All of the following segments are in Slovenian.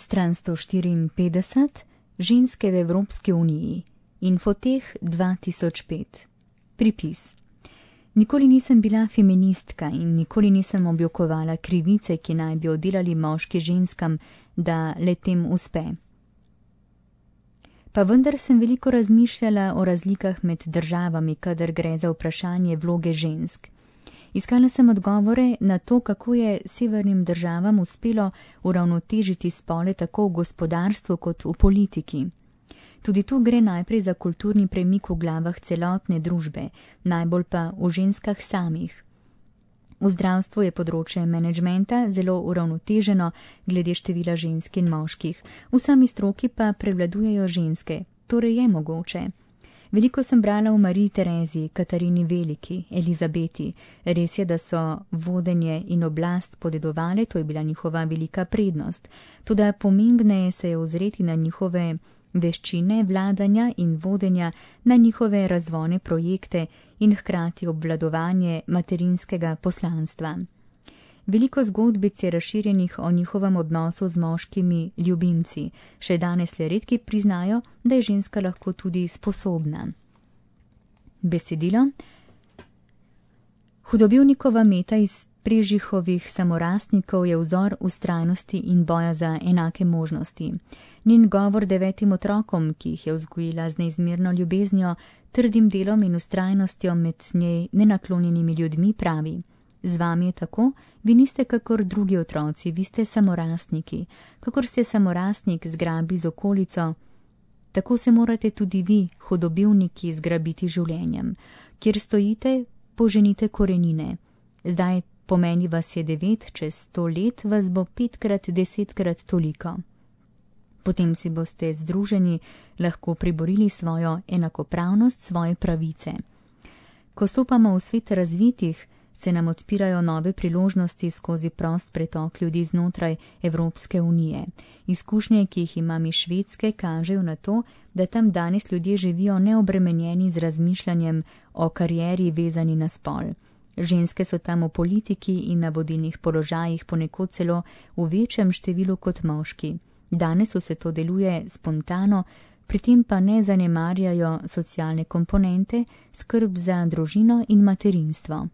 Stran 154. Ženske v Evropski uniji. Infoteh 2005. Pripis. Nikoli nisem bila feministka in nikoli nisem objokovala krivice, ki naj bi oddelali moški ženskam, da le tem uspe. Pa vendar sem veliko razmišljala o razlikah med državami, kadar gre za vprašanje vloge žensk. Iskala sem odgovore na to, kako je severnim državam uspelo uravnotežiti spole tako v gospodarstvu kot v politiki. Tudi tu gre najprej za kulturni premik v glavah celotne družbe, najbolj pa v ženskah samih. V zdravstvu je področje menedžmenta zelo uravnoteženo glede števila žensk in moških, v sami stroki pa prevladujejo ženske, torej je mogoče. Veliko sem brala o Mariji Tereziji, Katarini Veliki, Elizabeti. Res je, da so vodenje in oblast podedovale, to je bila njihova velika prednost. Toda pomembneje se je ozreti na njihove veščine vladanja in vodenja, na njihove razvojne projekte in hkrati obvladovanje materinskega poslanstva. Veliko zgodbic je razširjenih o njihovem odnosu z moškimi ljubimci. Še danes le redki priznajo, da je ženska lahko tudi sposobna. Besedilo. Hudobivnikova Meta iz Prežihovih samorastnikov je vzor vztrajnosti in boja za enake možnosti. Njen govor 9 otrokom, ki jih je vzgojila z neizmerno ljubeznijo, trdim delom in vztrajnostjo med njej nenaklonjenimi ljudmi, pravi: Z vami je tako, vi niste kakor drugi otroci, vi ste samorastniki. Kakor se samorastnik zgrabi z okolico, tako se morate tudi vi, hudobivniki, zgrabiti življenjem. Kjer stojite, poženite korenine. Zdaj po meni vas je 9, čez 100 let vas bo 5krat, 10krat toliko. Potem si boste združeni lahko priborili svojo enakopravnost, svoje pravice. Ko stopamo v svet razvitih, se nam odpirajo nove priložnosti skozi prost pretok ljudi znotraj Evropske unije. Izkušnje, ki jih imam iz Švedske, kažejo na to, da tam danes ljudje živijo neobremenjeni z razmišljanjem o karieri vezani na spol. Ženske so tam v politiki in na vodilnih položajih ponekod celo v večjem številu kot moški. Danes vse to deluje spontano, pri tem pa ne zanemarjajo socialne komponente, skrb za družino in materinstvo.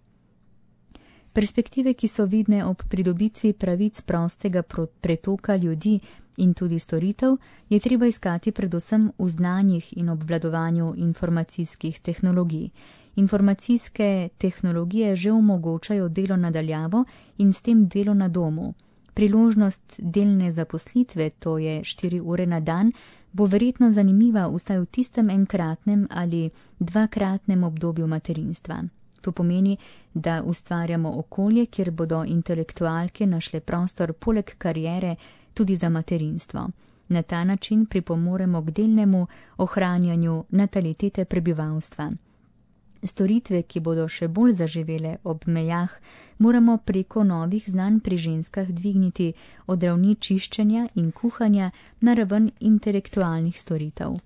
Perspektive, ki so vidne ob pridobitvi pravic prostega pretoka ljudi in tudi storitev, je treba iskati predvsem v znanjih in obvladovanju informacijskih tehnologij. Informacijske tehnologije že omogočajo delo na daljavo in s tem delo na domu. Priložnost delne zaposlitve, to je 4 ure na dan, bo verjetno zanimiva vsaj v tistem enkratnem ali 2kratnem obdobju materinstva. To pomeni, da ustvarjamo okolje, kjer bodo intelektualke našle prostor poleg kariere tudi za materinstvo. Na ta način pripomoremo k delnemu ohranjanju natalitete prebivalstva. Storitve, ki bodo še bolj zaživele ob mejah, moramo preko novih znanj pri ženskah dvigniti od ravni čiščenja in kuhanja na raven intelektualnih storitev.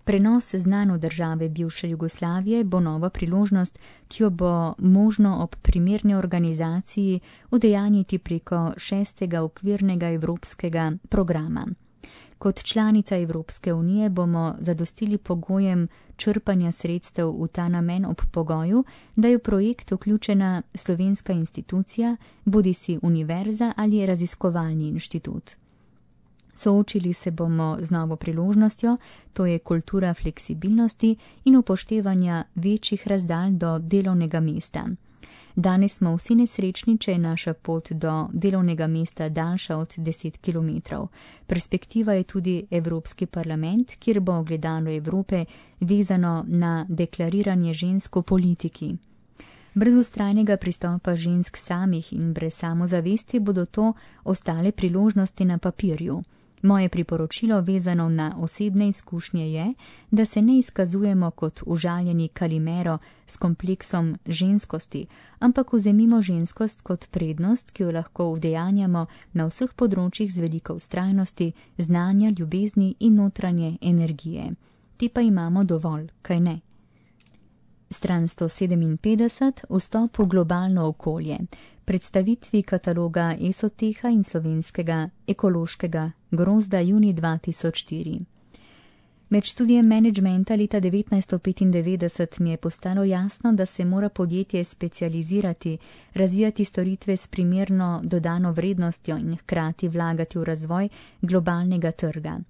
Prenos znanj v države bivše Jugoslavije bo nova priložnost, ki jo bo možno ob primerni organizaciji udejanjiti preko 6. okvirnega evropskega programa. Kot članica Evropske unije bomo zadostili pogojem črpanja sredstev v ta namen ob pogoju, da je v projekt vključena slovenska institucija, bodisi univerza ali raziskovalni inštitut. Soočili se bomo z novo priložnostjo, to je kultura fleksibilnosti in upoštevanja večjih razdalj do delovnega mesta. Danes smo vsi nesrečni, če je naša pot do delovnega mesta daljša od 10 km. Perspektiva je tudi Evropski parlament, kjer bo ogledalo Evrope vezano na deklariranje žensk v politiki. Brez vztrajnega pristopa žensk samih in brez samozavesti bodo to ostale priložnosti na papirju. Moje priporočilo vezano na osebne izkušnje je, da se ne izkazujemo kot užaljeni Kalimero s kompleksom ženskosti, ampak vzemimo ženskost kot prednost, ki jo lahko udejanjamo na vseh področjih z veliko vztrajnosti, znanja, ljubezni in notranje energije. Te pa imamo dovolj, kaj ne? Stran 157. Vstop v globalno okolje. predstavitvi kataloga Esoteha in slovenskega ekološkega grozda junij 2004. Med študijem menedžmenta leta 1995 mi je postalo jasno, da se mora podjetje specializirati, razvijati storitve s primerno dodano vrednostjo in hkrati vlagati v razvoj globalnega trga.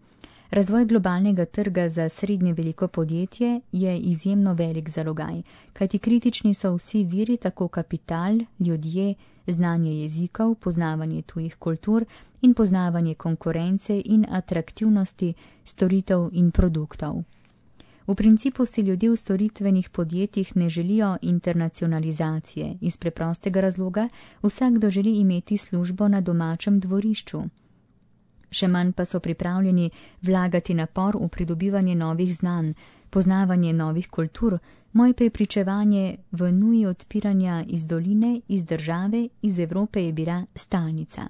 Razvoj globalnega trga za srednje veliko podjetje je izjemno velik zalogaj, kajti kritični so vsi viri, tako kapital, ljudje, znanje jezikov, poznavanje tujih kultur in poznavanje konkurence in atraktivnosti storitev in produktov. V principu si ljudje v storitvenih podjetjih ne želijo internacionalizacije, iz preprostega razloga vsakdo želi imeti službo na domačem dvorišču. Še manj pa so pripravljeni vlagati napor v pridobivanje novih znanj, poznavanje novih kultur, moje prepričevanje v nuji odpiranja iz doline, iz države, iz Evrope je bila stalnica.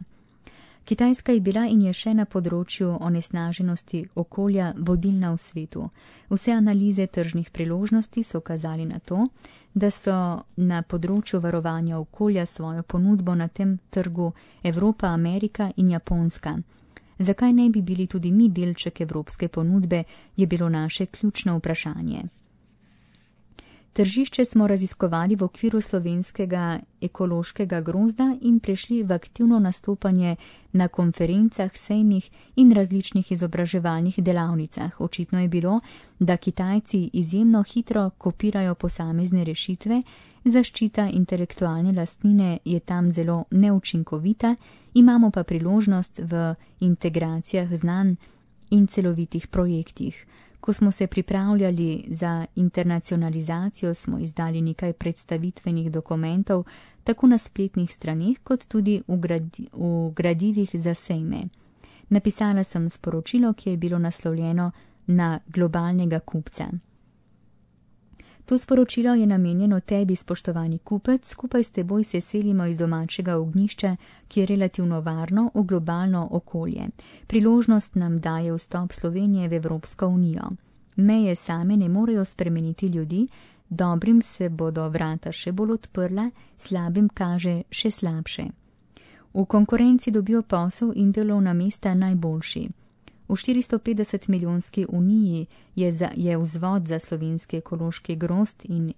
Kitajska je bila in je še na področju onesnaženosti okolja vodilna v svetu. Vse analize tržnih priložnosti so kazali na to, da so na področju varovanja okolja svojo ponudbo na tem trgu Evropa, Amerika in Japonska. Zakaj ne bi bili tudi mi delček evropske ponudbe, je bilo naše ključno vprašanje. Tržišče smo raziskovali v okviru slovenskega ekološkega grozda in prešli v aktivno nastopanje na konferencah, sejmih in različnih izobraževalnih delavnicah. Očitno je bilo, da Kitajci izjemno hitro kopirajo posamezne rešitve, zaščita intelektualne lastnine je tam zelo neučinkovita, imamo pa priložnost v integracijah znanj in celovitih projektih. Ko smo se pripravljali za internacionalizacijo, smo izdali nekaj predstavitvenih dokumentov, tako na spletnih straneh, kot tudi v gradivih za sejme. Napisala sem sporočilo, ki je bilo naslovljeno na globalnega kupca. To sporočilo je namenjeno tebi, spoštovani kupec, skupaj s teboj se selimo iz domačega ognjišča, ki je relativno varno, v globalno okolje. Priložnost nam daje vstop Slovenije v Evropsko unijo. Meje same ne morejo spremeniti ljudi, dobrim se bodo vrata še bolj odprla, slabim kaže še slabše. V konkurenci dobijo posel in delovna mesta najboljši. V 450 milijonski uniji je vzvod za slovenski ekološki grozd in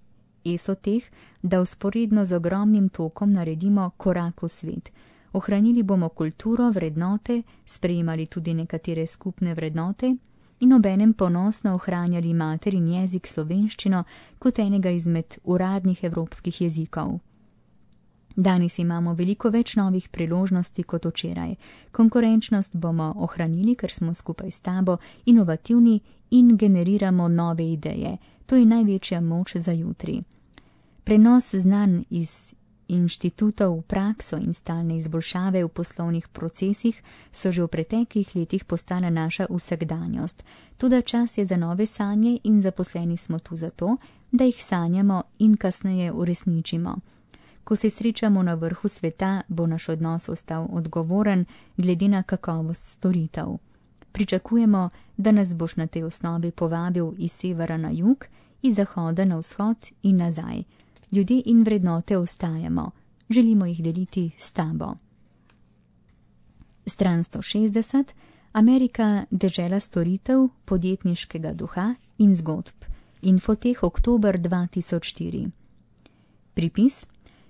Esoteh, da vzporedno z ogromnim tokom naredimo korak v svet. Ohranili bomo kulturo, vrednote, sprejemali tudi nekatere skupne vrednote in obenem ponosno ohranjali materin jezik slovenščino kot enega izmed uradnih evropskih jezikov. Danes imamo veliko več novih priložnosti kot včeraj. Konkurenčnost bomo ohranili, ker smo skupaj s tabo inovativni in generiramo nove ideje. To je največja moč za jutri. Prenos znanj iz inštitutov v prakso in stalne izboljšave v poslovnih procesih so že v preteklih letih postala naša vsakdanjost. Toda čas je za nove sanje in zaposleni smo tu zato, da jih sanjamo in kasneje uresničimo. Ko se srečamo na vrhu sveta, bo naš odnos ostal odgovoren glede na kakovost storitev. Pričakujemo, da nas boš na tej osnovi povabil iz severa na jug, iz zahoda na vzhod in nazaj. Ljudje in vrednote ostajamo, želimo jih deliti s tabo. Stran 160. Amerika, dežela storitev, podjetniškega duha in zgodb. Infoteh, oktober 2004. Pripis.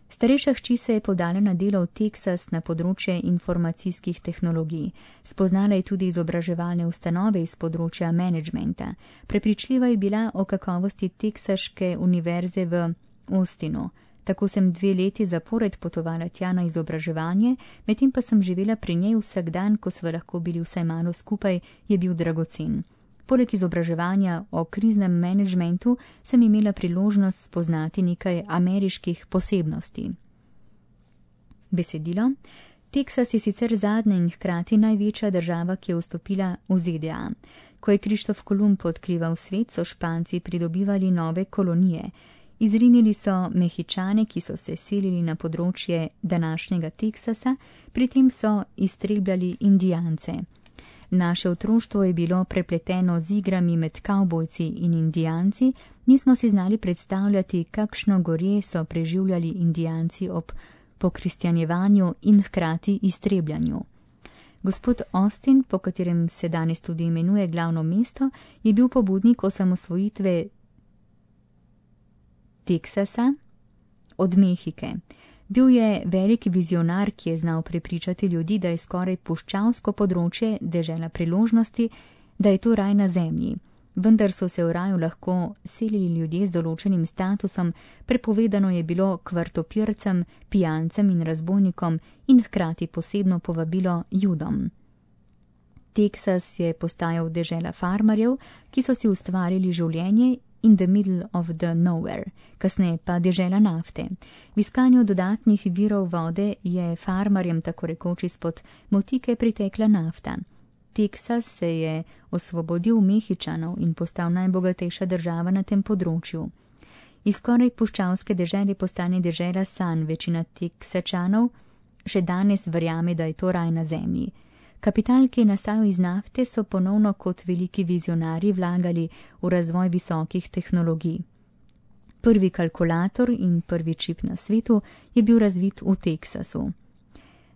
Starejša hči se je podala na delo v Teksas na področje informacijskih tehnologij. Spoznala je tudi izobraževalne ustanove iz področja menedžmenta. Prepričljiva je bila o kakovosti Teksaške univerze v Austinu. Tako sem 2 leti zapored potovala tja na izobraževanje, medtem pa sem živela pri njej vsak dan, ko sva lahko bili vsaj malo skupaj, je bil dragocen. Poleg izobraževanja o kriznem menedžmentu sem imela priložnost spoznati nekaj ameriških posebnosti. Besedilo. Teksas je sicer zadnja in hkrati največja država, ki je vstopila v ZDA. Ko je Krištof Kolumb odkrival svet, so Španci pridobivali nove kolonije. Izrinili so Mehičane, ki so se selili na področje današnjega Teksasa, pri tem so iztrebljali Indijance. Naše otroštvo je bilo prepleteno z igrami med kavbojci in Indijanci, nismo si znali predstavljati, kakšno gorje so preživljali Indijanci ob pokristjanjevanju in hkrati iztrebljanju. Gospod Austin, po katerem se danes tudi imenuje glavno mesto, je bil pobudnik osamosvojitve Teksasa od Mehike. Bil je velik vizionar, ki je znal prepričati ljudi, da je skoraj puščavsko področje dežela priložnosti, da je to raj na zemlji. Vendar so se v raju lahko selili ljudje z določenim statusom, prepovedano je bilo kvartopircem, pijancem in razbojnikom in hkrati posebno povabilo Judom. Teksas je postajal dežela farmarjev, ki so si ustvarili življenje in the middle of the nowhere, kasneje pa dežela nafte. V iskanju dodatnih virov vode je farmarjem tako rekoč izpod motike pritekla nafta. Teksas se je osvobodil Mehičanov in postal najbogatejša država na tem področju. Iz skoraj puščavske dežele postane dežela sanj, večina Teksačanov še danes verjame, da je to raj na zemlji. Kapital, ki je nastajal iz nafte, so ponovno kot veliki vizionarji vlagali v razvoj visokih tehnologij. Prvi kalkulator in prvi čip na svetu je bil razvit v Teksasu.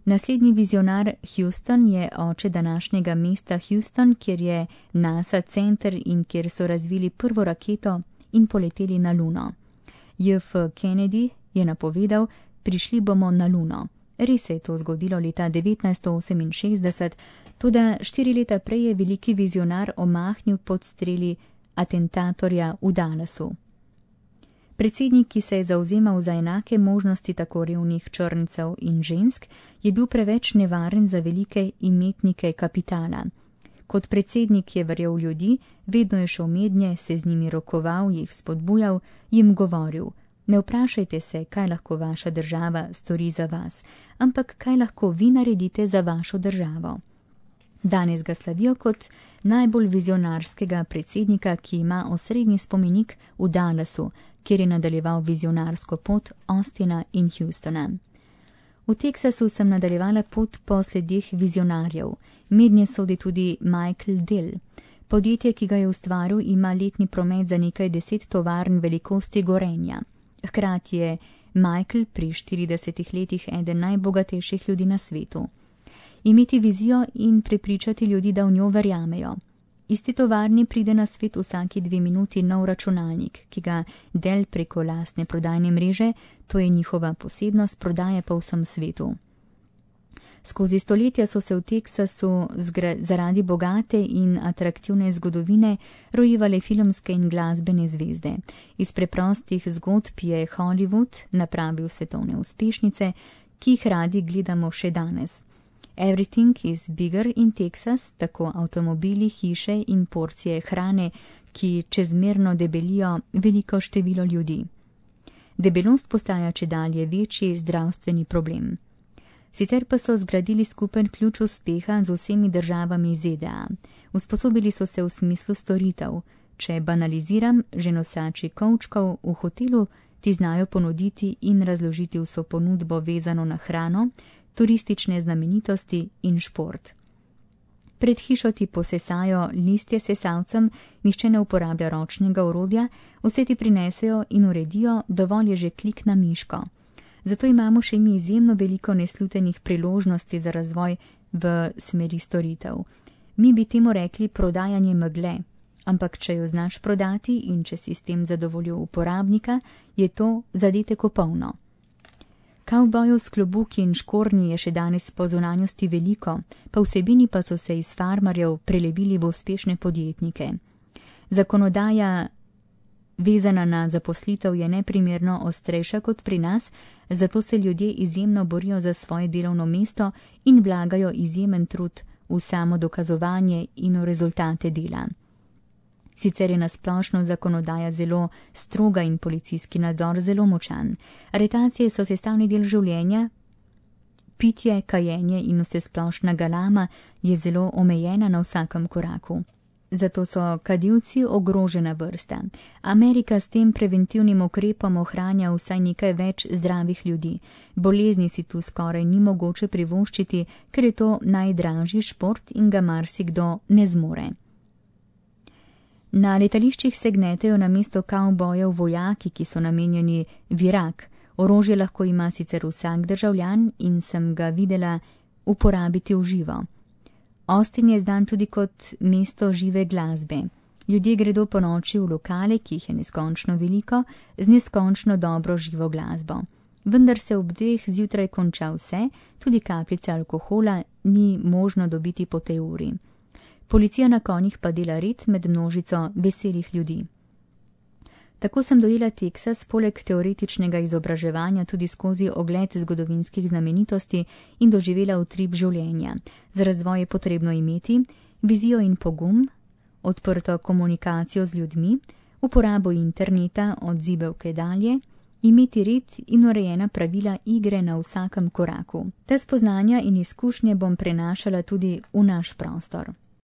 Naslednji vizionar Houston je oče današnjega mesta Houston, kjer je NASA center in kjer so razvili prvo raketo in poleteli na Luno. J.F. Kennedy je napovedal, prišli bomo na Luno. Res se je to zgodilo leta 1968, toda 4 leta prej je veliki vizionar omahnil pod streli atentatorja v Dallasu. Predsednik, ki se je zavzemal za enake možnosti tako revnih črncev in žensk, je bil preveč nevaren za velike imetnike kapitala. Kot predsednik je verjel v ljudi, vedno je šel mednje, se z njimi rokoval, jih spodbujal, jim govoril: ne vprašajte se, kaj lahko vaša država stori za vas, ampak kaj lahko vi naredite za vašo državo. Danes ga slavijo kot najbolj vizionarskega predsednika, ki ima osrednji spomenik v Dallasu, kjer je nadaljeval vizionarsko pot Austina in Houstona. V Teksasu sem nadaljevala pot po sledih vizionarjev. Mednje sodi tudi Michael Dell. Podjetje, ki ga je ustvaril, ima letni promet za nekaj 10 tovarn velikosti Gorenja. Hkrati je Michael pri 40 letih eden najbogatejših ljudi na svetu. Imeti vizijo in prepričati ljudi, da v njo verjamejo. Iz te tovarne pride na svet vsaki 2 minuti nov računalnik, ki ga Dell preko lastne prodajne mreže, to je njihova posebnost, prodaje po vsem svetu. Skozi stoletja so se v Teksasu zaradi bogate in atraktivne zgodovine rojevale filmske in glasbene zvezde. Iz preprostih zgodb je Hollywood napravil svetovne uspešnice, ki jih radi gledamo še danes. Everything is bigger in Texas, tako avtomobili, hiše in porcije hrane, ki čezmerno debelijo veliko število ljudi. Debelost postaja čedalje večji zdravstveni problem. Sicer pa so zgradili skupen ključ uspeha z vsemi državami ZDA. Usposobili so se v smislu storitev. Če banaliziram, že nosači kovčkov v hotelu ti znajo ponuditi in razložiti vso ponudbo vezano na hrano, turistične znamenitosti in šport. Pred hišo ti posesajo listje sesalcem, nihče ne uporablja ročnega orodja, vse ti prinesejo in uredijo, dovolj je že klik na miško. Zato imamo še mi izjemno veliko neslutenih priložnosti za razvoj v smeri storitev. Mi bi temu rekli prodajanje megle, ampak če jo znaš prodati in če si s tem zadovoljil uporabnika, je to zadetek popolno. Kavbojev s klobuki in škornji je še danes po zunanjosti veliko, pa vsebini pa so se iz farmarjev prelevili v uspešne podjetnike. Zakonodaja vezana na zaposlitev je neprimerno ostrejša kot pri nas, zato se ljudje izjemno borijo za svoje delovno mesto in vlagajo izjemen trud v samo dokazovanje in v rezultate dela. Sicer je nasplošno zakonodaja zelo stroga in policijski nadzor zelo močan. Aretacije so sestavni del življenja, pitje, kajenje in vsesplošna galama je zelo omejena na vsakem koraku. Zato so kadilci ogrožena vrsta. Amerika s tem preventivnim ukrepom ohranja vsaj nekaj več zdravih ljudi. Bolezni si tu skoraj ni mogoče privoščiti, ker je to najdražji šport in ga marsikdo ne zmore. Na letališčih se gnetejo namesto kavbojev vojaki, ki so namenjeni v Irak. Orožje lahko ima sicer vsak državljan in sem ga videla uporabiti v živo. Austin je znan tudi kot mesto žive glasbe. Ljudje gredo po noči v lokale, ki jih je neskončno veliko, z neskončno dobro živo glasbo. Vendar se ob 2 zjutraj konča vse, tudi kapljice alkohola ni možno dobiti po tej uri. Policija na konjih pa dela red med množico veselih ljudi. Tako sem dojela Teksas poleg teoretičnega izobraževanja tudi skozi ogled zgodovinskih znamenitosti in doživela utrip življenja. Za razvoj je potrebno imeti vizijo in pogum, odprto komunikacijo z ljudmi, uporabo interneta od zibelke dalje, imeti red in urejena pravila igre na vsakem koraku. Te spoznanja in izkušnje bom prenašala tudi v naš prostor.